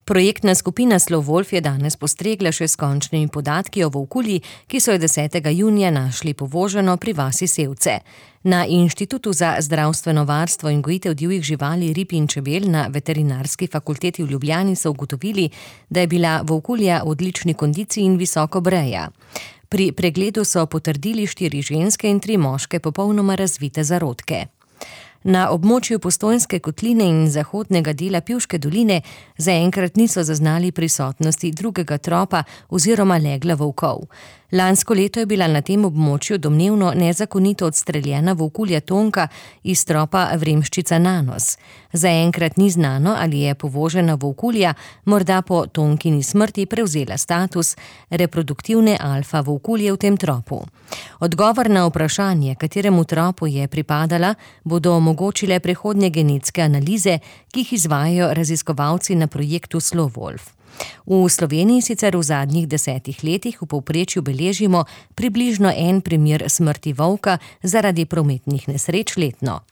Projektna skupina Slovolf je danes postregla še s končnimi podatki o volkulji, ki so jo 10. junija našli povoženo pri vasi Sevce. Na Inštitutu za zdravstveno varstvo in gojitev divjih živali, rib in čebel na Veterinarski fakulteti v Ljubljani so ugotovili, da je bila volkulja v odlični kondiciji in visoko breja. Pri pregledu so potrdili 4 ženske in 3 moške popolnoma razvite zarodke. Na območju Postojnske kotline in zahodnega dela Pivške doline zaenkrat niso zaznali prisotnosti drugega tropa oziroma legla volkov. Lansko leto je bila na tem območju domnevno nezakonito odstreljena volkulja Tonka iz tropa Vremščica Nanos. Zaenkrat ni znano, ali je povožena volkulja morda po Tonkini smrti prevzela status reproduktivne alfa volkulje v tem tropu. Odgovor na vprašanje, kateremu tropu je pripadala, bodo omogočile prihodnje genetske analize, ki jih izvajajo raziskovalci na projektu Slovolf. V Sloveniji sicer v zadnjih 10 letih v povprečju beležimo približno 1 primer smrti volka zaradi prometnih nesreč letno.